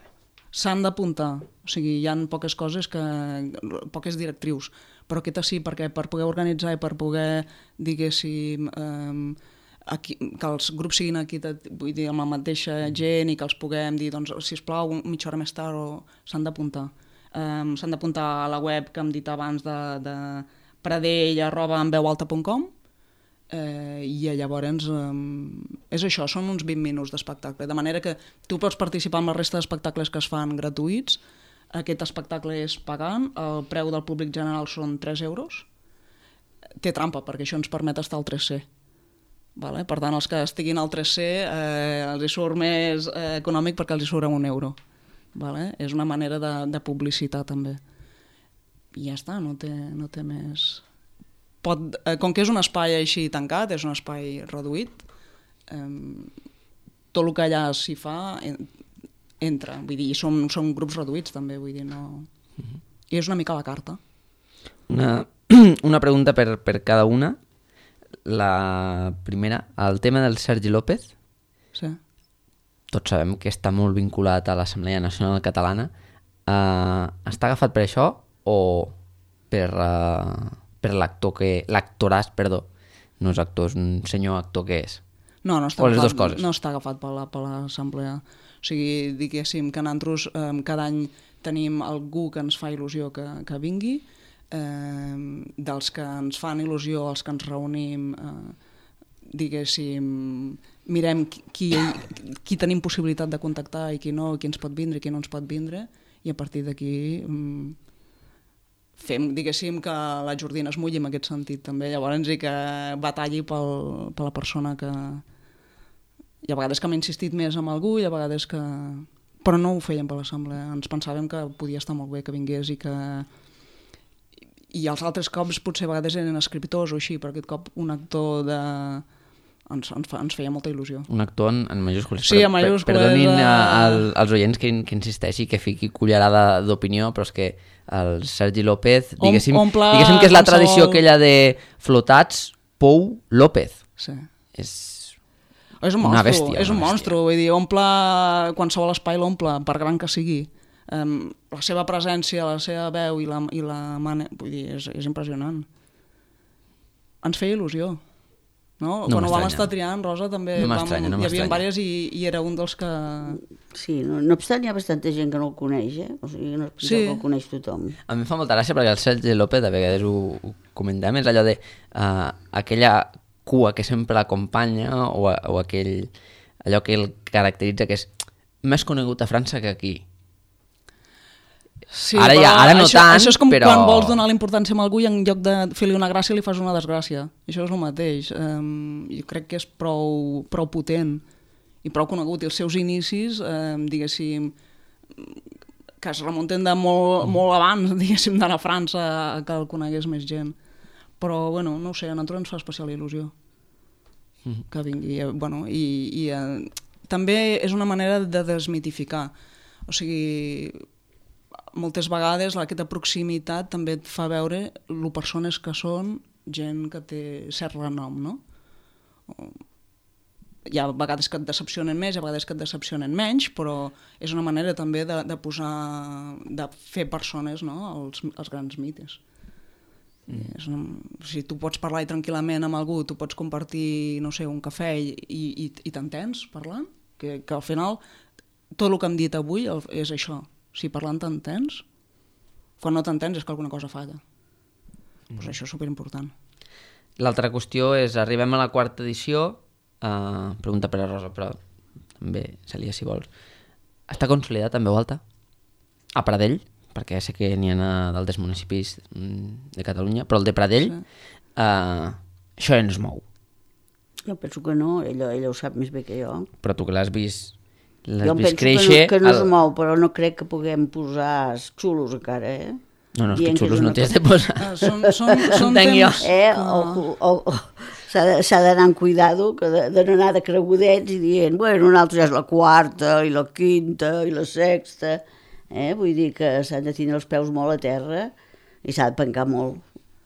S'han d'apuntar, o sigui, hi ha poques coses, poques directrius, però aquesta sí, perquè per poder organitzar i per poder, diguéssim, que els grups siguin vull dir, amb la mateixa gent i que els puguem dir, doncs, sisplau, mitja hora més tard s'han d'apuntar. S'han d'apuntar a la web que hem dit abans de pradell@enveualta.com i llavors és això, són uns 20 minuts d'espectacle, de manera que tu pots participar en la resta d'espectacles que es fan gratuïts. Aquest espectacle és pagant, el preu del públic general són 3 euros. Té trampa, perquè això ens permet estar al 3C. Vale? Per tant, els que estiguin al 3C els hi surt més econòmic perquè els hi surt a 1 euro. Vale? És una manera de publicitar també. I ja està, no té més... Com que és un espai així tancat, és un espai reduït, tot el que allà s'hi fa entra. Vull dir, són grups reduïts també, vull dir, no... I és una mica la carta. Una pregunta per cada una. La primera, el tema del Sergi López. Sí. Tots sabem que està molt vinculat a l'Assemblea Nacional Catalana. Està agafat per això o per l'actor l'actoràs, perdó, no és actor, és un senyor actor que és? No està o les dues coses? No està agafat per l'Assemblea. O sigui, diguéssim que nosaltres cada any tenim algú que ens fa il·lusió que vingui. dels que ens fan il·lusió, els que ens reunim, diguéssim, mirem qui tenim possibilitat de contactar i qui no, qui ens pot vindre i qui no ens pot vindre, i a partir d'aquí fem, diguéssim, que la Jordina es mulli en aquest sentit també, llavors i que batalli per la persona que... Hi ha vegades que m'he insistit més amb algú i a vegades que... Però no ho fèiem per l'assemblea, ens pensàvem que podia estar molt bé que vingués i que... I els altres cops potser a vegades eren escriptors o així, però aquest cop un actor de... Ens feia molta il·lusió. Un actor en majúscules. Sí, en majúscules. Perdonin als oients que insisteixi, que fiqui cullerada d'opinió, però és que el Sergi López, diguéssim que és la tradició aquella de flotats Pou López. Sí. És un una bèstia. És un monstru, vull dir, omple qualsevol espai, l'omple, per gran que sigui. La seva presència, la seva veu i la vull dir, és impressionant. Ens feia il·lusió. No? Quan ho vam estar triant, Rosa, també hi havia diverses i era un dels que... Sí, no obstant hi ha bastanta gent que no el coneix, o sigui, no és que el coneix tothom. A mi em fa molta gràcia perquè el Sergi López, a vegades ho comentem, és allò de aquella cua que sempre l'acompanya o allò que el caracteritza, que és més conegut a França que aquí. Sí, ara no tant, això és com però... quan vols donar la importància a algú i en lloc de fer-li una gràcia li fas una desgràcia. Això és el mateix. Jo crec que és prou potent i prou conegut. I els seus inicis, diguéssim, que es remunten de molt abans, diguéssim, d'anar a França que el conegués més gent. Però, bueno, no ho sé, a nosaltres ens fa especial il·lusió que vingui. Bueno, i també és una manera de desmitificar. O sigui... moltes vegades aquesta proximitat també et fa veure lo persones que són gent que té cert renom, no? Hi ha vegades que et decepcionen més, hi ha vegades que et decepcionen menys, però és una manera també de posar, de fer persones, no? els grans mites. Si tu pots parlar tranquil·lament amb algú, tu pots compartir, no sé, un cafè i t'entens parlant, que al final tot el que hem dit avui és això. Si parlant t'entens, quan no t'entens és que alguna cosa falla. Pues això és superimportant. L'altra qüestió és, arribem a la quarta edició, pregunta per a Rosa, però també se lia si vols. Està consolidat en veu alta? A Pradell, perquè sé que n'hi ha d'altres municipis de Catalunya, però el de Pradell, això ja no es mou. Jo penso que no, ella ho sap més bé que jo. Però tu que l'has vist... Jo penso que no es mou, però no crec que puguem posar xulos encara, No, és que xulos no t'has de posar. Són temps... S'ha d'anar amb cuidado, de no anar de cregudets i dient, bueno, un altre ja és la quarta, i la quinta, i la sexta... Vull dir que s'han de tenir els peus molt a terra i s'ha de pencar molt,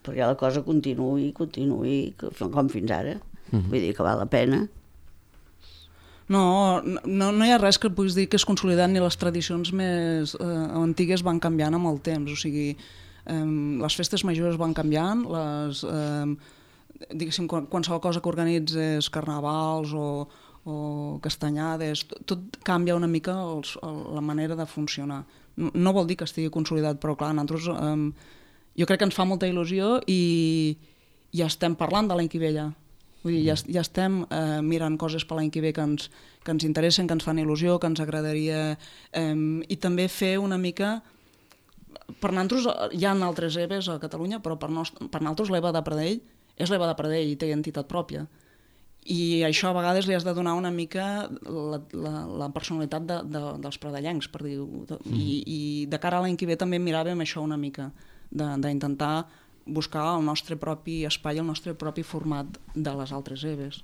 perquè la cosa continuï com fins ara. Vull dir que val la pena. No hi ha res que puguis dir que és consolidat, ni les tradicions més antigues van canviant amb el temps, o sigui, les festes majors van canviant, diguéssim, qualsevol cosa que organitzes, carnavals o castanyades, tot canvia una mica la manera de funcionar. No vol dir que estigui consolidat, però clar, nosaltres jo crec que ens fa molta il·lusió i ja estem parlant de l'any que ve ja. Vull dir, ja estem mirant coses per l'any que ve que ens interessen, que ens fan il·lusió, que ens agradaria, i també fer una mica... Per nosaltres hi ha altres EVEs a Catalunya, però per nosaltres l'EVA de Pradell és l'EVA de Pradell i té identitat pròpia. I això a vegades li has de donar una mica la personalitat dels pradellencs, per dir-ho. I de cara a l'any que ve també miràvem això una mica, d'intentar buscar el nostre propi espai, el nostre propi format de les altres EVEs.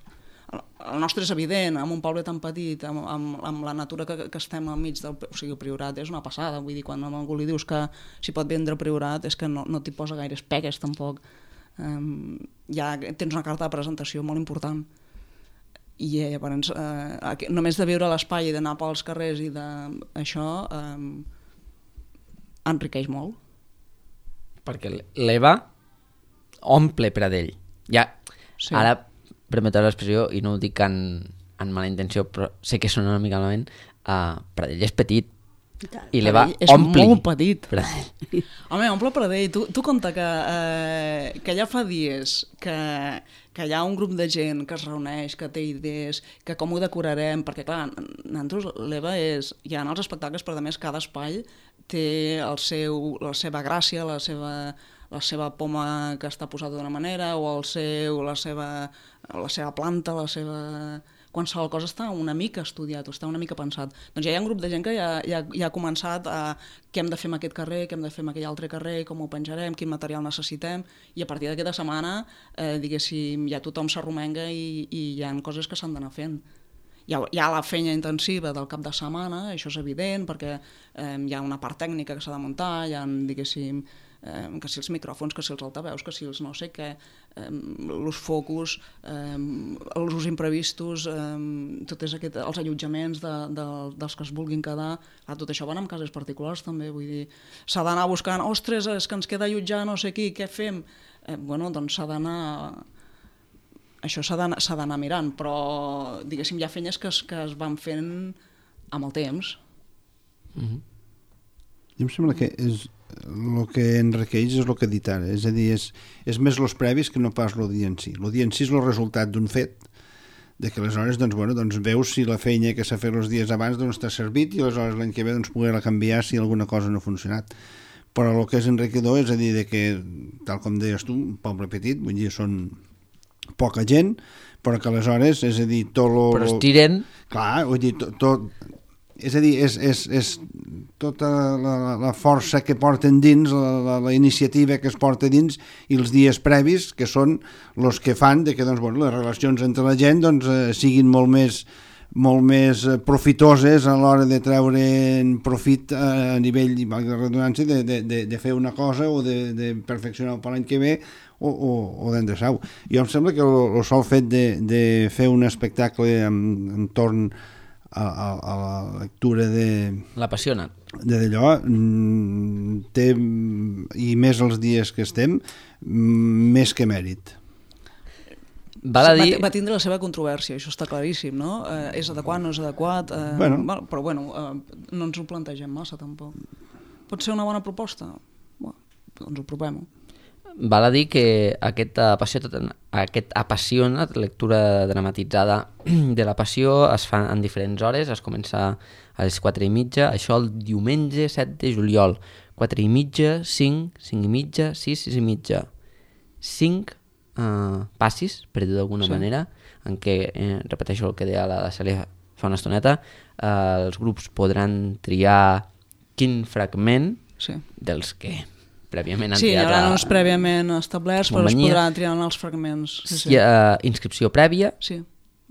El nostre és evident, amb un poble tan petit, amb la natura que estem al mig del... O sigui, el Priorat és una passada, vull dir, quan a algú li dius que s'hi pot vendre Priorat és que no t'hi posa gaires pegues, tampoc. Ja tens una carta de presentació molt important. I llavors, només de viure a l'espai i d'anar pels carrers i d'això enriqueix molt. Perquè l'EVA omple Pradell. Ja, sí. Ara, permeteu l'expressió, i no ho dic en mala intenció, però sé que sona una mica malament, Pradell és petit, i li va És omplir. molt petit. Pradell. Home, omple Pradell. Tu compta que ja fa dies que hi ha un grup de gent que es reuneix, que té idees, que com ho decorarem, perquè clar, nosaltres l'EVA és... Hi ha els espectacles, però a més cada espai té la seva gràcia, la seva poma que està posada d'una manera, o la seva planta, la seva... Qualsevol cosa està una mica estudiat o està una mica pensat. Doncs ja hi ha un grup de gent que ja ha començat a què hem de fer en aquest carrer, què hem de fer en aquell altre carrer, com ho penjarem, quin material necessitem, i a partir d'aquesta setmana, diguéssim, ja tothom s'arromenga i hi ha coses que s'han d'anar fent. Hi ha la feina intensiva del cap de setmana, això és evident, perquè hi ha una part tècnica que s'ha de muntar, hi ha, diguéssim, que si els micròfons, que si els altaveus, que si els no sé què, els focus, els imprevistos, els allotjaments dels que es vulguin quedar. Tot això van amb cases particulars també, vull dir, s'ha d'anar buscant, ostres, és que ens queda allotjar no sé qui, què fem? Doncs s'ha d'anar... Això s'ha d'anar mirant, però diguéssim hi ha feines que es van fent amb el temps. Jo em sembla que el que enriqueix és el que he dit ara, és a dir, és més els previs que no pas el dia en si. El dia en si és el resultat d'un fet, de que aleshores doncs veus si la feina que s'ha fet els dies abans t'ha servit i aleshores l'any que ve poder-la canviar si alguna cosa no ha funcionat. Però el que és enriquidor és a dir que, tal com deies tu, un poble petit, vull dir, són poca gent, però que aleshores, és a dir, tot lo... Però es tiren... Clar, vull dir, tot... És a dir, és tota la força que porten dins, la iniciativa que es porta dins i els dies previs, que són els que fan de que les relacions entre la gent siguin molt més profitoses a l'hora de treure profit a nivell, valgui la redundància, de fer una cosa o de perfeccionar per l'any que ve o d'endreçar-ho. Jo em sembla que el sol fet de fer un espectacle entorn a la lectura de... L'apassiona. D'allò té, i més els dies que estem, més que mèrit. Va tindre la seva controvèrsia, això està claríssim, no? És adequat, no és adequat? Però no ens ho plantegem massa, tampoc. Pot ser una bona proposta? Doncs ho provem. Val a dir que aquest apassionat, lectura dramatitzada de la passió, es fa en diferents hores, es comença a les 4:30, això el diumenge 7 de juliol, 4:30, 5, 5:30, 6, 6:30. 5 passis, per dir d'alguna manera, en què, repeteixo el que deia la Cèlia fa una estoneta, els grups podran triar quin fragment dels que prèviament han triat... Sí, hi haurà uns prèviament establerts, però es podrà triar en els fragments. Hi ha inscripció prèvia,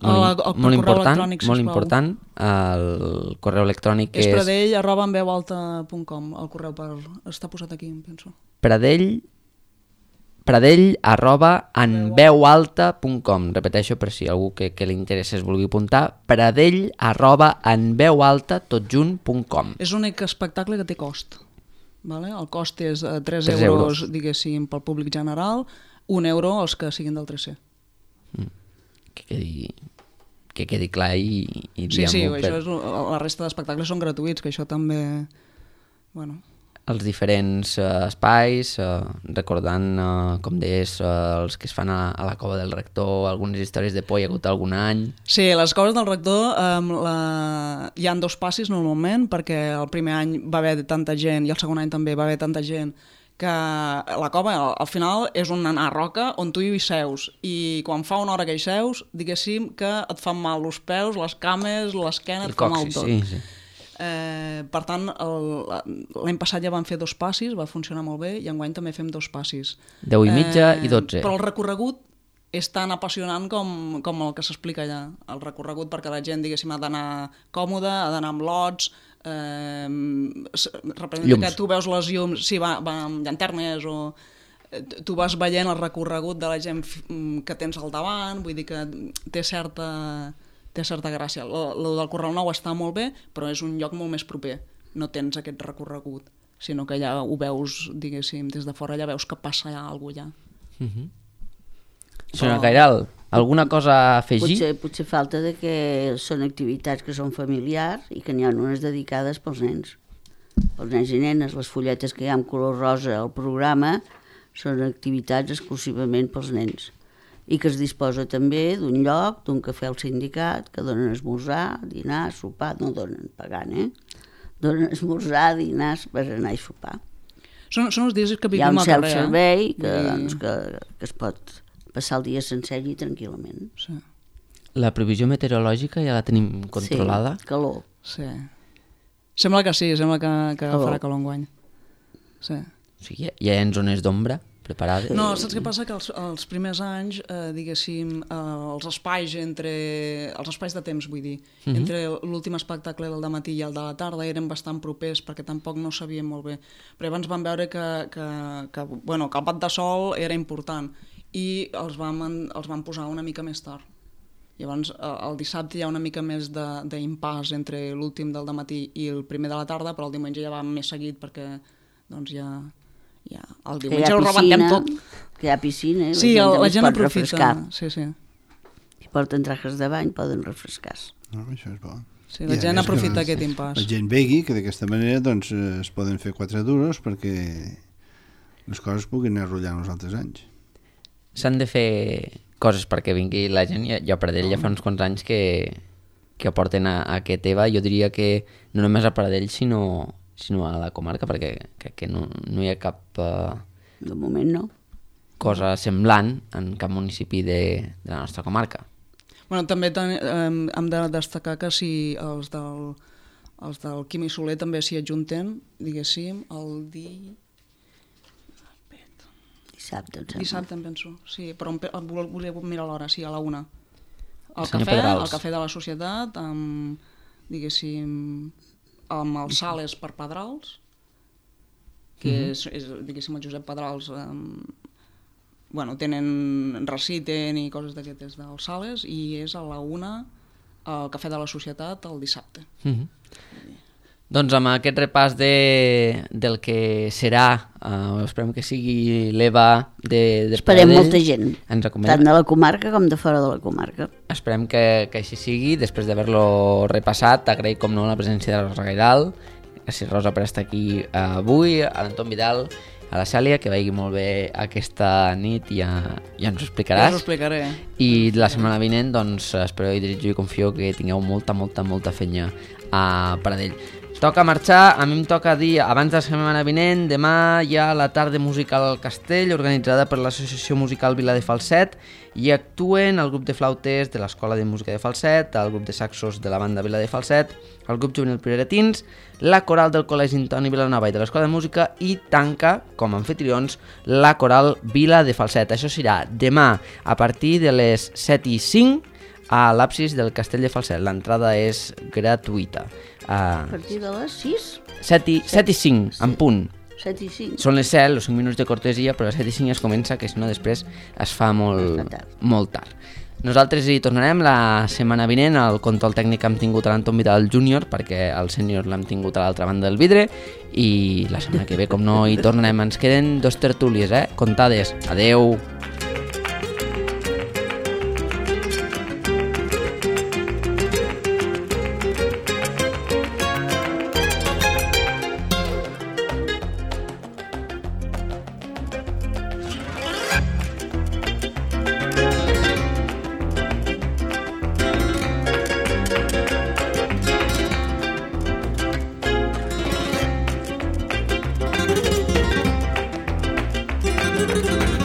molt important, el correu electrònic és... És pradell@enveualta.com, el correu està posat aquí, em penso. Pradell@enveualta.com, repeteixo per si algú que li interessa es vulgui apuntar, pradell@enveualta.com. És l'únic espectacle que té cost. Vale? El cost és 3 euros, diguéssim, pel públic general, 1 euro els que siguin del 3C. Que quedi clar i sí, això és, la resta d'espectacles són gratuïts, que això també... Els diferents espais, recordant, com deies, els que es fan a la Cova del Rector, algunes històries de por hi ha hagut algun any. Sí, les Coves del Rector hi ha 2 passis normalment, perquè el primer any va haver tanta gent i el segon any també va haver tanta gent que la cova al final és una roca on tu hi seus i quan fa una hora que hi seus, diguéssim que et fan mal els peus, les cames, l'esquena, et fa mal tot. Sí. Per tant, l'any passat ja vam fer 2 passis, va funcionar molt bé, i enguany també fem 2 passis. 10:30 i 12. Però el recorregut és tan apassionant com el que s'explica allà. El recorregut perquè la gent, diguéssim, ha d'anar còmoda, ha d'anar amb lots, representa que tu veus les llums, sí, va amb llanternes o... Tu vas veient el recorregut de la gent que tens al davant, vull dir que té certa gràcia. Lo del Correu Nou està molt bé, però és un lloc molt més proper. No tens aquest recorregut, sinó que ja ho veus, diguéssim, des de fora ja veus que passa alguna cosa allà. Senyora Cairal, alguna cosa a afegir? Potser falta de que són activitats que són familiars i que n'hi ha unes dedicades pels nens. pels nens i nenes. Les fulletes que hi ha en color rosa al programa són activitats exclusivament pels nens i que es disposa també d'un lloc, d'un cafè al sindicat, que donen esmorzar, dinar, sopar, no donen pagant, donen esmorzar, dinar per anar a sopar. Són els dies que Hi ha vivim un al carrer. self-servei que es pot passar el dia sencer allí tranquil·lament. Sí. La previsió meteorològica ja la tenim controlada? Sí, calor. Sí. Sembla que sí, sembla que Calor. farà calor enguany. Sí. O sigui, ja hi ha zones d'ombra preparades? No, saps què passa? Que els primers anys, diguéssim, els espais de temps, vull dir, entre l'últim espectacle del dematí i el de la tarda eren bastant propers perquè tampoc no sabíem molt bé. Però abans vam veure que el pat de sol era important i els vam posar una mica més tard. Llavors, el dissabte hi ha una mica més d'impàs entre l'últim del dematí i el primer de la tarda, però el diumenge ja va més seguit perquè doncs ja el diumenge ho rebentem tot. Que hi ha piscina, Sí, la gent pot aprofita. refrescar. Sí. Si porten trajes de bany poden refrescar-se. No, això és bo. Sí, la I a gent més que aprofita aquest impàs. La gent vegui que d'aquesta manera doncs, es poden fer 4 duros perquè les coses puguin anar rotllant els altres anys. S'han de fer coses perquè vingui la gent. Jo a Pradell ja fa uns quants anys que aporten a aquest EVA. Jo diria que no només a Pradell sinó a la comarca, perquè crec que no hi ha cap De moment no. cosa semblant en cap municipi de la nostra comarca. Bueno, també hem de destacar que si els del Quim i Soler també s'hi adjunten, diguéssim, el Dissabte, em sembla. dissabte, em penso. Sí, però volia mirar l'hora, sí, a la 1. El Senyor Pedrals. cafè de la societat, diguéssim, amb els Sales per Pedrals, que és diguéssim, el Josep Pedrals, reciten i coses d'aquestes dels Sales, i és a la 1 el cafè de la societat el dissabte. Doncs amb aquest repàs del que serà, esperem que sigui l'EVA de Esperem Pradell. molta gent, Ens tant acomodem. de la comarca com de fora de la comarca. Esperem que així sigui. Després d'haver-lo repassat, agrair com no la presència de la Rosa Gairal. Gràcies, Rosa, per estar aquí avui, a l'Anton Vidal, a la Cèlia, que vagi molt bé aquesta nit i ja ens ho explicaràs. Ja us ho explicaré. I la setmana vinent, doncs, espero i desitjo i confio que tingueu molta feina a Pradell. Toca marxar, a mi em toca dir, abans de la setmana vinent, demà hi ha la tarda musical al Castell, organitzada per l'Associació Musical Vila de Falset, i actuen el grup de flautes de l'Escola de Música de Falset, el grup de saxos de la banda Vila de Falset, el grup juvenil Priretins, la coral del Col·legi Antoni Vilanova i de l'Escola de Música, i tanca, com a anfitrions, la coral Vila de Falset. Això serà demà a partir de les 7:05 a l'absis del Castell de Falset. L'entrada és gratuïta. A partir de les 6, 7:05, en punt. 7:05. Són les 7, els 5 minuts de cortesia, però a les 7:05 es comença, que si no després es fa molt tard. Nosaltres hi tornarem la setmana vinent. El control tècnic hem tingut a l'Anton Vidal Júnior, perquè el sènior l'hem tingut a l'altra banda del vidre, i la setmana que ve, com no, hi tornarem. Ens queden 2 tertúlies, comptades. Adeu! Thank you.